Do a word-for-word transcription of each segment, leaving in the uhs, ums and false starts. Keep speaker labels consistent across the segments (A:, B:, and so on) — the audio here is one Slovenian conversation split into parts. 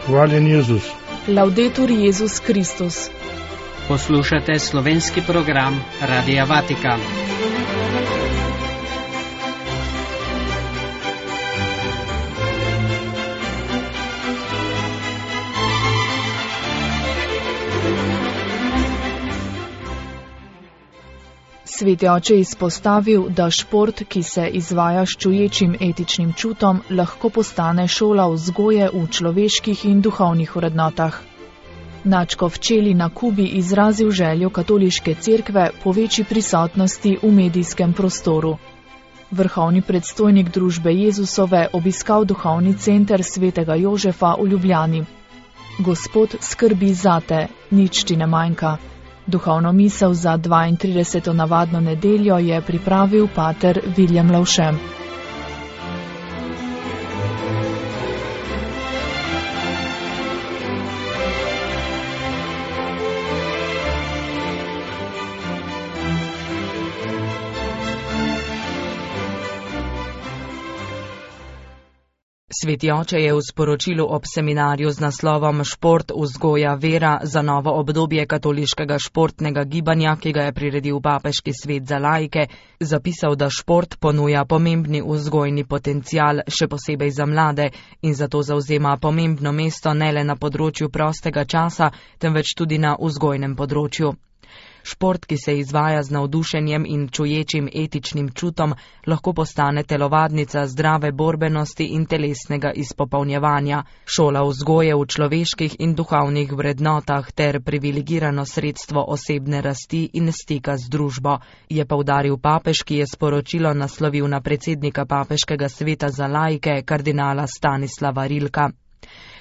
A: Hvaljen Jezus.
B: Laudetur Jezus Kristus.
C: Poslušate slovenski program Radia Vatikan.
B: Sveti oče je izpostavil, da šport, ki se izvaja s čuječim etičnim čutom, lahko postane šola vzgoje v človeških in duhovnih vrednotah. Nadškof Čeli na Kubi izrazil željo katoliške cerkve po večji prisotnosti v medijskem prostoru. Vrhovni predstojnik družbe Jezusove obiskal duhovni center svetega Jožefa v Ljubljani. Gospod skrbi zate, nič ti ne manjka. Duhovno misel za dvaintrideseto navadno nedeljo je pripravil pater Viljem Lavše.
D: Sveti oče je v sporočilu ob seminarju z naslovom Šport, vzgoja, vera za novo obdobje katoliškega športnega gibanja, ki ga je priredil Papeški svet za laike, zapisal, da šport ponuja pomembni vzgojni potencial, še posebej za mlade, in zato zavzema pomembno mesto ne le na področju prostega časa, temveč tudi na vzgojnem področju. Šport, ki se izvaja z navdušenjem in čuječim etičnim čutom, lahko postane telovadnica zdrave borbenosti in telesnega izpopolnjevanja, šola vzgoje v človeških in duhovnih vrednotah ter privilegirano sredstvo osebne rasti in stika z družbo, je poudaril papež, ki je sporočilo naslovil na predsednika Papeškega sveta za laike, kardinala Stanislava Rilka.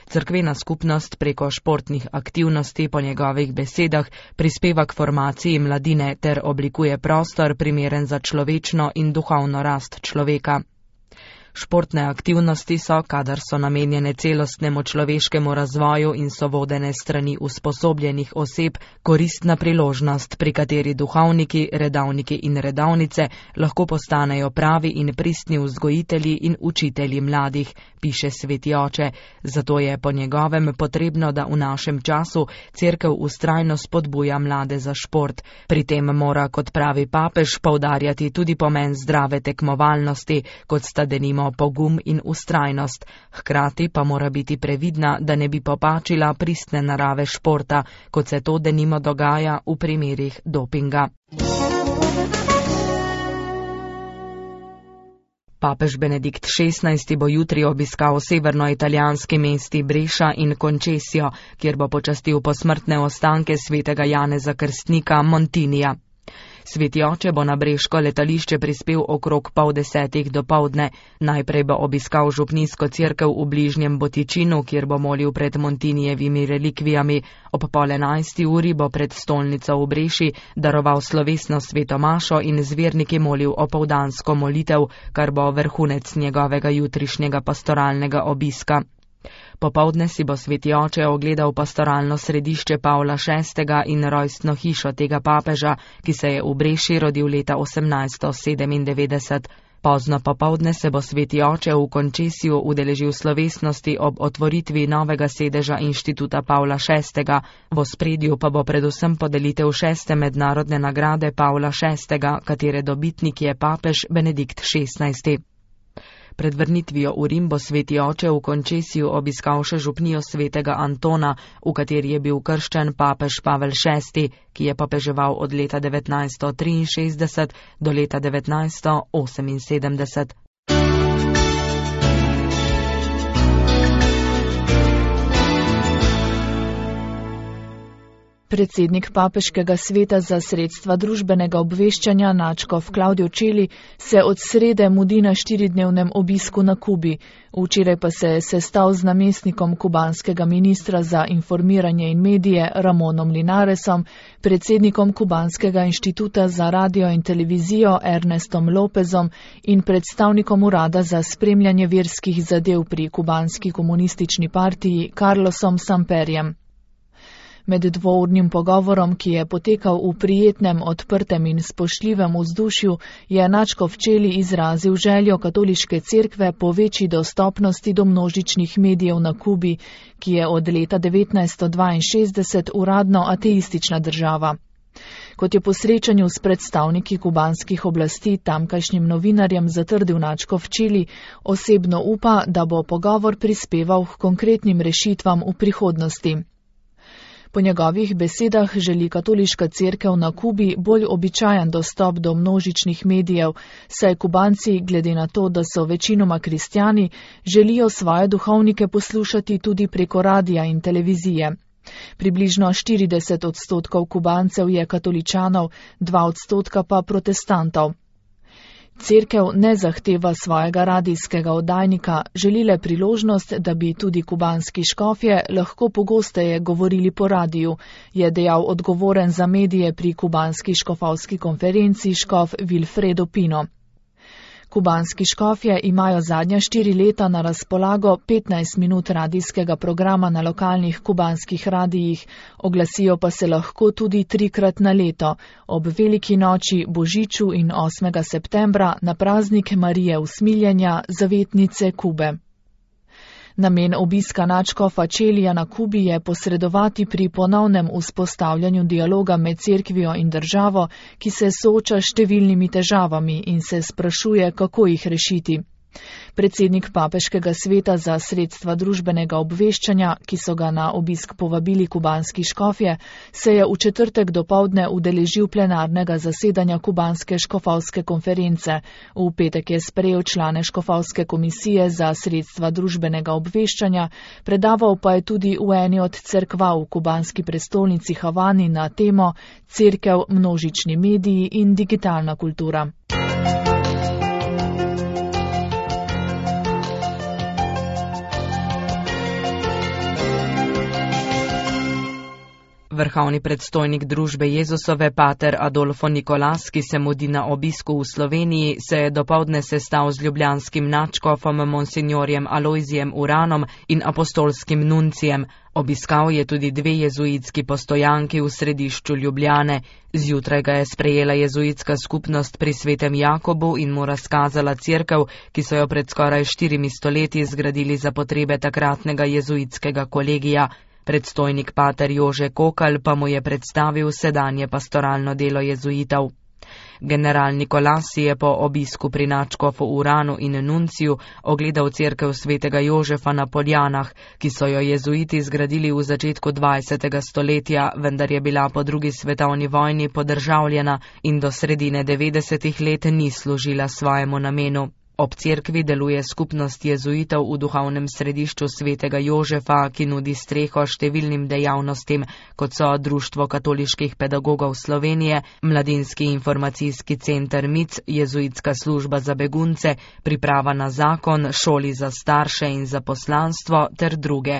D: Cerkvena skupnost preko športnih aktivnosti po njegovih besedah prispeva k formaciji mladine ter oblikuje prostor primeren za človečno in duhovno rast človeka. Športne aktivnosti so, kadar so namenjene celostnemu človeškemu razvoju in so vodene strani usposobljenih oseb, koristna priložnost, pri kateri duhovniki, redavniki in redavnice lahko postanejo pravi in pristni vzgojitelji in učitelji mladih, piše sveti oče. Zato je po njegovem potrebno, da v našem času cerkev vztrajno spodbuja mlade za šport. Pri tem mora, kot pravi papež, poudarjati tudi pomen zdrave tekmovalnosti, kot sta denimo pogum in ustrajnost, hkrati pa mora biti previdna, da ne bi popačila pristne narave športa, kot se to denimo dogaja v primerih dopinga. Papež Benedikt šestnajsti bo jutri obiskal severnoitalijanski mesti Breša in Concesio, kjer bo počastil posmrtne ostanke svetega Janeza Krstnika Montinija. Sveti oče bo na breško letališče prispel okrog pol desetih dopoldne. Najprej bo obiskal župnijsko cerkev v bližnjem Botičinu, kjer bo molil pred Montinijevimi relikvijami. Ob pol enajsti uri bo pred stolnico v Breši daroval slovesno sveto mašo in z verniki molil opoldansko molitev, kar bo vrhunec njegovega jutrišnjega pastoralnega obiska. Popoldne si bo sveti oče ogledal pastoralno središče Pavla šestega in rojstno hišo tega papeža, ki se je v Breši rodil leta osemnajststo sedemindevetdeset. Pozno popoldne se bo sveti oče v Concesiju udeležil slovesnosti ob otvoritvi novega sedeža inštituta Pavla šestega. V ospredju pa bo predvsem podelitev šeste mednarodne nagrade Pavla šestega, katere dobitnik je papež Benedikt šestnajsti. Pred vrnitvijo v Rim bo sveti oče v Concesiju obiskal še župnijo svetega Antona, v kateri je bil krščen papež Pavel šesti, ki je papeževal od leta devetnajststo triinšestdeset do leta devetnajststo oseminsedemdeset.
B: Predsednik Papeškega sveta za sredstva družbenega obveščanja nadškof Klavdijo Čeli se od srede mudi na štiridnevnem obisku na Kubi. Včeraj pa se je sestal z namestnikom kubanskega ministra za informiranje in medije Ramonom Linaresom, predsednikom Kubanskega inštituta za radio in televizijo Ernestom Lopezom in predstavnikom urada za spremljanje verskih zadev pri kubanski komunistični partiji Carlosom Samperjem. Med dvournim pogovorom, ki je potekal v prijetnem, odprtem in spoštljivem vzdušju, je nadškof Čeli izrazil željo katoliške cerkve po večji dostopnosti do množičnih medijev na Kubi, ki je od leta devetnajststo dvainšestdeset uradno ateistična država. Kot je po srečanju s predstavniki kubanskih oblasti tamkajšnjim novinarjem zatrdil nadškof Čeli, osebno upa, da bo pogovor prispeval k konkretnim rešitvam v prihodnosti. Po njegovih besedah želi katoliška cerkev na Kubi bolj običajen dostop do množičnih medijev, saj Kubanci, glede na to, da so večinoma kristjani, želijo svoje duhovnike poslušati tudi preko radija in televizije. Približno štirideset odstotkov Kubancev je katoličanov, dva odstotka pa protestantov. Cerkev ne zahteva svojega radijskega oddajnika, želi le priložnost, da bi tudi kubanski škofje lahko pogosteje govorili po radiju, je dejal odgovoren za medije pri kubanski škofovski konferenci škof Wilfredo Pino. Kubanski škofje imajo zadnja štiri leta na razpolago petnajst minut radijskega programa na lokalnih kubanskih radijih, oglasijo pa se lahko tudi trikrat na leto, ob veliki noči, božiču in osmega septembra na praznik Marije usmiljenja, zavetnice Kube. Namen obiska nadškofa Čelija na Kubi je posredovati pri ponovnem vzpostavljanju dialoga med cerkvijo in državo, ki se sooča s številnimi težavami in se sprašuje, kako jih rešiti. Predsednik Papeškega sveta za sredstva družbenega obveščanja, ki so ga na obisk povabili kubanski škofje, se je v četrtek dopoldne udeležil plenarnega zasedanja kubanske škofovske konference. V petek je sprejel člane škofovske komisije za sredstva družbenega obveščanja, predaval pa je tudi v eni od cerkva v kubanski prestolnici Havani na temo Cerkev, množični mediji in digitalna kultura.
D: Vrhovni predstojnik družbe Jezusove pater Adolfo Nikolas, ki se mudi na obisku v Sloveniji, se je dopoldne sestal z ljubljanskim nadškofom monsignorjem Alojzijem Uranom in apostolskim nuncijem. Obiskal je tudi dve jezuitski postojanki v središču Ljubljane. Zjutraj ga je sprejela jezuitska skupnost pri Svetem Jakobu in mu razkazala cerkev, ki so jo pred skoraj štirimi stoletji zgradili za potrebe takratnega jezuitskega kolegija. Predstojnik pater Jože Kokal pa mu je predstavil sedanje pastoralno delo jezuitov. General Nikolas je po obisku pri nadškofu Uranu in nunciju ogledal cerkev svetega Jožefa na Poljanah, ki so jo jezuiti zgradili v začetku dvajsetega stoletja, vendar je bila po drugi svetovni vojni podržavljena in do sredine devetdesetih let ni služila svojemu namenu. Ob cerkvi deluje skupnost jezuitov v duhovnem središču svetega Jožefa, ki nudi streho številnim dejavnostim, kot so Društvo katoliških pedagogov Slovenije, Mladinski informacijski center M I C, Jezuitska služba za begunce, priprava na zakon, šoli za starše in za poslanstvo ter druge.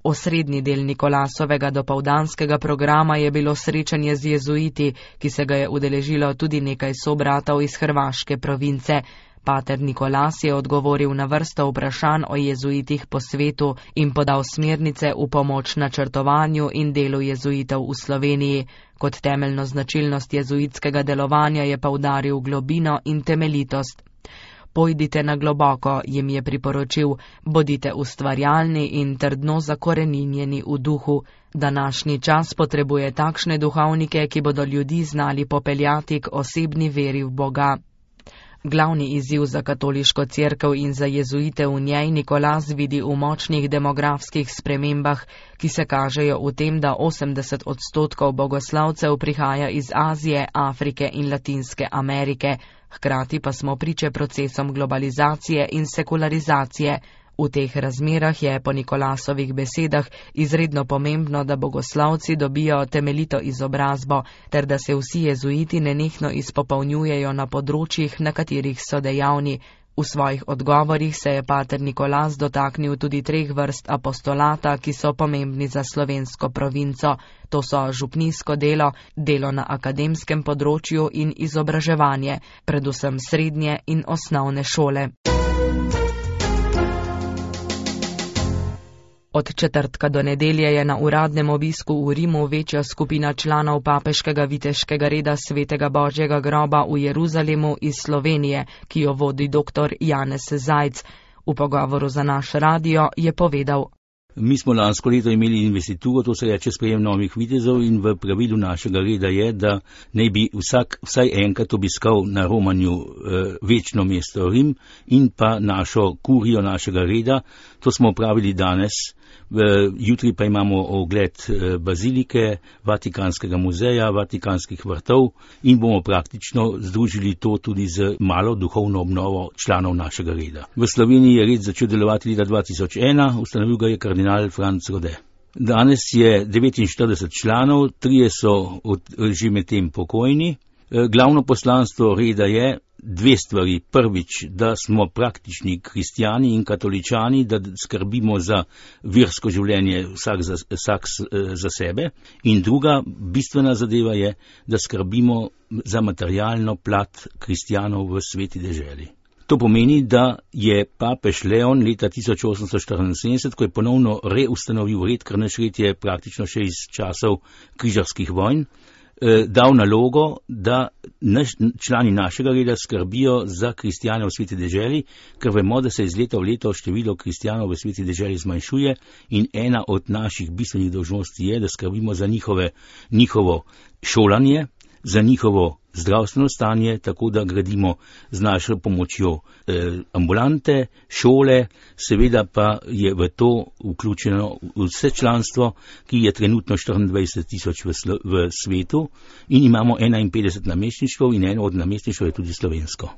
D: Osrednji del Nikolasovega dopoldanskega programa je bilo srečanje z jezuiti, ki se ga je udeležilo tudi nekaj sobratov iz hrvaške province. Pater Nikolas je odgovoril na vrsto vprašanj o jezuitih po svetu in podal smernice v pomoč načrtovanju in delu jezuitov v Sloveniji. Kot temeljno značilnost jezuitskega delovanja je poudaril globino in temeljitost. Pojdite na globoko, jim je priporočil, bodite ustvarjalni in trdno zakoreninjeni v duhu. Današnji čas potrebuje takšne duhovnike, ki bodo ljudi znali popeljati k osebni veri v Boga. Glavni izziv za katoliško cerkev in za jezuite v njej Nikolas vidi v močnih demografskih spremembah, ki se kažejo v tem, da osemdeset odstotkov bogoslavcev prihaja iz Azije, Afrike in Latinske Amerike. Hkrati pa smo priče procesom globalizacije in sekularizacije. V teh razmerah je po Nikolasovih besedah izredno pomembno, da bogoslavci dobijo temeljito izobrazbo, ter da se vsi jezuiti nenehno izpopolnjujejo na področjih, na katerih so dejavni. V svojih odgovorih se je pater Nikolas dotaknil tudi treh vrst apostolata, ki so pomembni za slovensko provinco. To so župnijsko delo, delo na akademskem področju in izobraževanje, predvsem srednje in osnovne šole. Od četrtka do nedelje je na uradnem obisku v Rimu večja skupina članov papeškega viteškega reda Svetega Božjega groba v Jeruzalemu iz Slovenije, ki jo vodi dr. Janez Zajc. V pogovoru za naš radio je povedal:
A: Mi smo lansko leto imeli investituro, to se reče sprejem novih vitezov, in v pravilu našega reda je, da ne bi vsak vsaj enkrat obiskal na romanju eh, večno mesto Rim in pa našo kurijo našega reda. To smo opravili danes. Jutri pa imamo ogled bazilike, Vatikanskega muzeja, Vatikanskih vrtov in bomo praktično združili to tudi z malo duhovno obnovo članov našega reda. V Sloveniji je red začel delovati leta dva tisoč ena, ustanovil ga je kardinal Franc Rode. Danes je devetinštirideset članov, trije so od, že medtem pokojni. Glavno poslanstvo reda je dve stvari. Prvič, da smo praktični kristijani in katoličani, da skrbimo za versko življenje vsak za, vsak za sebe. In druga bistvena zadeva je, da skrbimo za materialno plat kristijanov v sveti deželi. To pomeni, da je papež Leon leta tisoč osemsto štiriinsedemdeset, ko je ponovno reustanovil red, ker naš red je praktično še iz časov križarskih vojn, dal nalogo, da naš, člani našega reda skrbijo za kristijane v sveti deželi, ker vemo, da se iz leta v leto število kristijanov v sveti deželi zmanjšuje in ena od naših bistvenih dolžnosti je, da skrbimo za njihove, njihovo šolanje, za njihovo zdravstveno stanje, tako da gradimo z našo pomočjo eh, ambulante, šole, seveda pa je v to vključeno vse članstvo, ki je trenutno štiriindvajset tisoč v, v svetu in imamo enainpetdeset namestništev in eno od namestništev je tudi slovensko.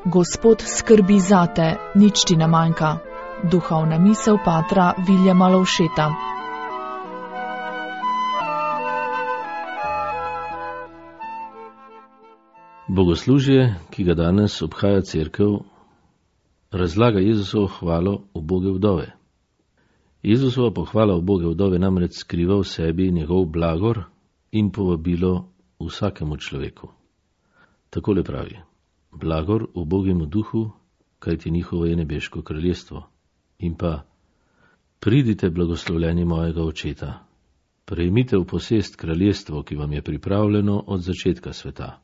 B: Gospod skrbi zate, nič ti ne manjka. Duhovna misel patra Viljama Lovšeta.
E: Bogoslužje, ki ga danes obhaja cerkev, razlaga Jezusovo hvalo uboge vdove. Jezusova pohvala uboge vdove namreč skriva v sebi njegov blagor in povabilo vsakemu človeku. Takole pravi: blagor ubogemu duhu, kajti njihovo je nebeško kraljestvo. In pa: pridite, blagoslovljeni mojega očeta, prejmite v posest kraljestvo, ki vam je pripravljeno od začetka sveta.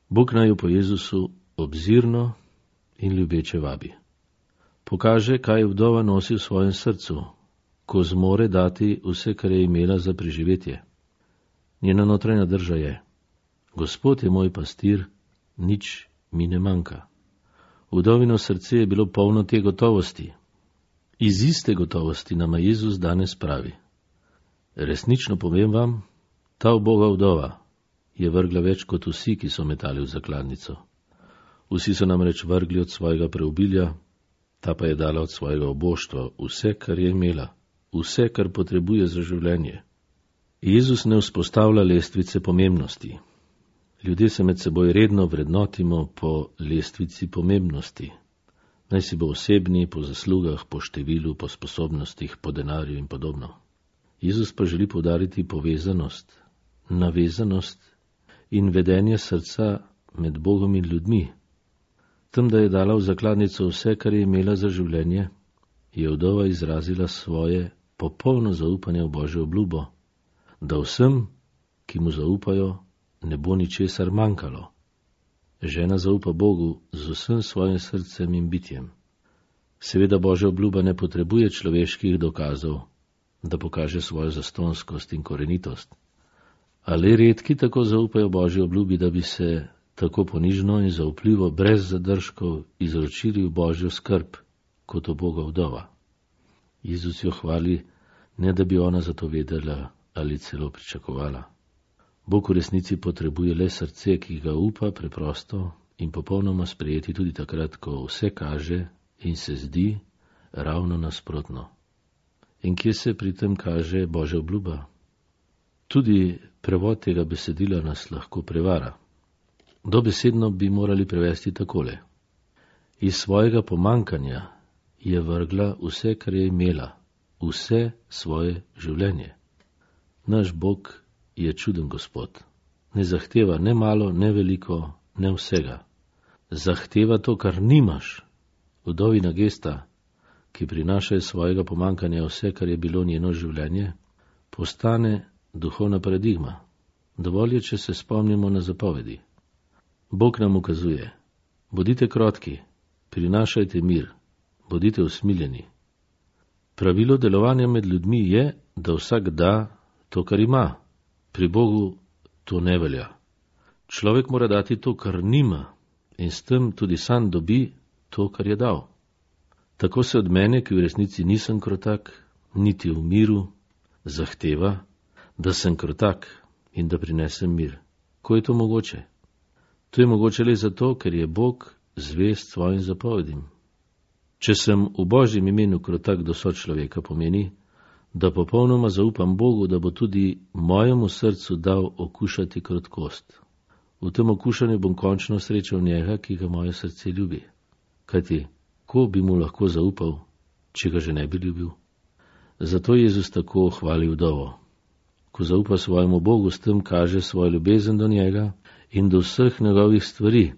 E: Bog naj jo po Jezusu obzirno in ljubeče vabi. Pokaže, kaj vdova nosi v svojem srcu, ko zmore dati vse, kar je imela za preživetje. Njena notranja drža je: Gospod je moj pastir, nič mi ne manjka. Vdovino srce je bilo polno te gotovosti. Iz iste gotovosti nama Jezus danes pravi: resnično povem vam, ta uboga vdova je vrgla več kot vsi, ki so metali v zakladnico. Vsi so namreč vrgli od svojega preobilja, ta pa je dala od svojega oboštva vse, kar je imela, vse, kar potrebuje za življenje. Jezus ne vzpostavlja lestvice pomembnosti. Ljudje se med seboj redno vrednotimo po lestvici pomembnosti. Naj si bo osebni, po zaslugah, po številu, po sposobnostih, po denarju in podobno. Jezus pa želi poudariti povezanost, navezanost in vedenje srca med Bogom in ljudmi. Tem, da je dala v zakladnico vse, kar je imela za življenje, je vdova izrazila svoje popolno zaupanje v Božjo obljubo, da vsem, ki mu zaupajo, ne bo ničesar manjkalo. Žena zaupa Bogu z vsem svojim srcem in bitjem. Seveda Božja obljuba ne potrebuje človeških dokazov, da pokaže svojo zastonskost in korenitost. Ali redki tako zaupajo Božji obljubi, da bi se tako ponižno in zaupljivo, brez zadržkov, izročili v Božjo skrb, kot uboga vdova. Jezus jo hvali, ne da bi ona za to vedela ali celo pričakovala. Bog v resnici potrebuje le srce, ki ga upa preprosto in popolnoma sprejeti tudi takrat, ko vse kaže in se zdi ravno nasprotno. In kje se pri tem kaže Božja obljuba? Tudi prevod tega besedila nas lahko prevara. Dobesedno bi morali prevesti takole: iz svojega pomankanja je vrgla vse, kar je imela, vse svoje življenje. Naš Bog je čuden Gospod. Ne zahteva ne malo, ne veliko, ne vsega. Zahteva to, kar nimaš. Vdovina gesta, ki prinaša iz svojega pomankanja vse, kar je bilo njeno življenje, postane duhovna paradigma. Dovolj je, če se spomnimo na zapovedi. Bog nam ukazuje: bodite krotki, prinašajte mir, bodite usmiljeni. Pravilo delovanja med ljudmi je, da vsak da to, kar ima. Pri Bogu to ne velja. Človek mora dati to, kar nima, in s tem tudi sam dobi to, kar je dal. Tako se od mene, ki v resnici nisem krotak, niti v miru, zahteva, da sem krotak in da prinesem mir. Ko je to mogoče? To je mogoče le zato, ker je Bog zvest svojim zapovedim. Če sem v Božjem imenu krotak do sočloveka, pomeni, da popolnoma zaupam Bogu, da bo tudi mojemu srcu dal okušati krotkost. V tem okušanju bom končno srečal njega, ki ga moje srce ljubi. Kajti, ko bi mu lahko zaupal, če ga že ne bi ljubil? Zato Jezus tako hvali vdovo. Ko zaupa svojemu Bogu, s tem kaže svojo ljubezen do njega in do vseh njegovih stvari.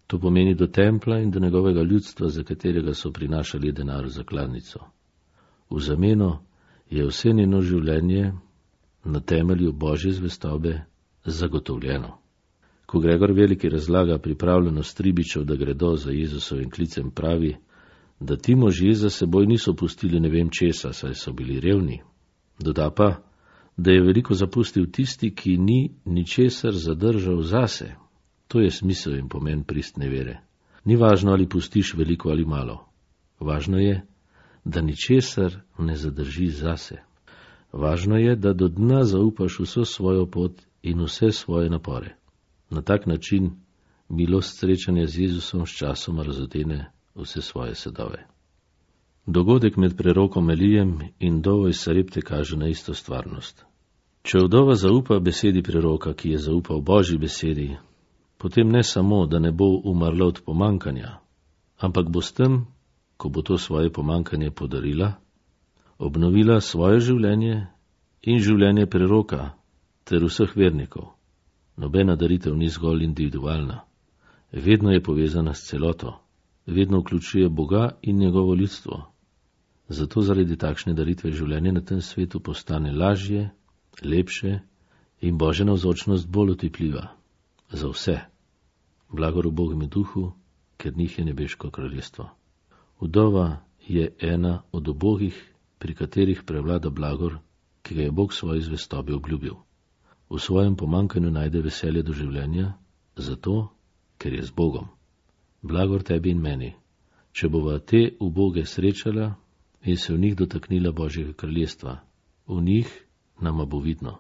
E: To pomeni do templa in do njegovega ljudstva, za katerega so prinašali denar v zakladnico. V zameno je vse njeno življenje na temelju Božje zvestobe zagotovljeno. Ko Gregor Veliki razlaga pripravljenost ribičev, da gredo za Jezusovim klicem, pravi, da ti možje za seboj niso pustili ne vem česa, saj so bili revni. Doda pa, da je veliko zapustil tisti, ki ni ničesar zadržal zase. To je smisel in pomen pristne vere. Ni važno, ali pustiš veliko ali malo. Važno je, da ničesar ne zadrži zase. Važno je, da do dna zaupaš vso svojo pot in vse svoje napore. Na tak način milost srečanja z Jezusom s časoma razodene vse svoje sadove. Dogodek med prerokom Elijem in vdovo iz Sarepte kaže na isto stvarnost. Če vdova zaupa besedi preroka, ki je zaupal Božji besedi, potem ne samo, da ne bo umrla od pomankanja, ampak bo s tem, ko bo to svoje pomankanje podarila, obnovila svoje življenje in življenje preroka ter vseh vernikov. Nobena daritev ni zgolj individualna, vedno je povezana s celoto, vedno vključuje Boga in njegovo ljudstvo. Zato zaradi takšne daritve življenje na tem svetu postane lažje, lepše in Božja navzočnost bolj otipljiva. Za vse. Blagor v Bogu in duhu, ker njih je nebeško kraljestvo. Vdova je ena od ubogih, pri katerih prevlada blagor, ki ga je Bog svoji zvestobi obljubil. V svojem pomankanju najde veselje do življenja, zato, ker je z Bogom. Blagor tebi in meni, če bova te uboge srečala in se v njih dotaknila Božjega kraljestva. V njih nama bo vidno.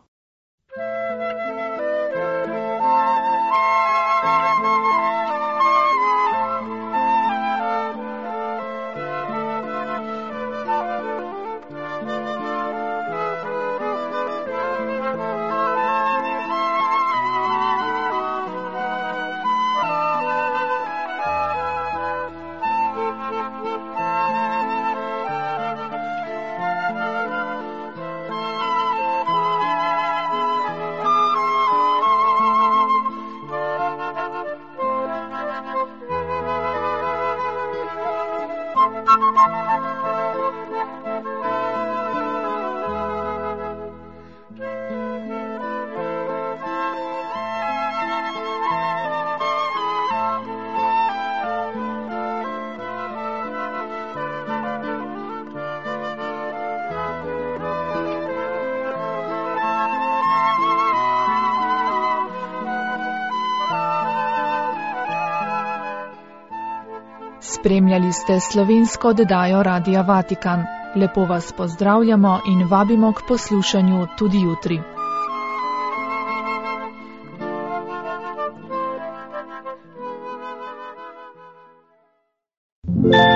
B: Spremljali ste slovensko oddajo Radia Vatikan. Lepo vas pozdravljamo in vabimo k poslušanju tudi jutri.
F: Yeah.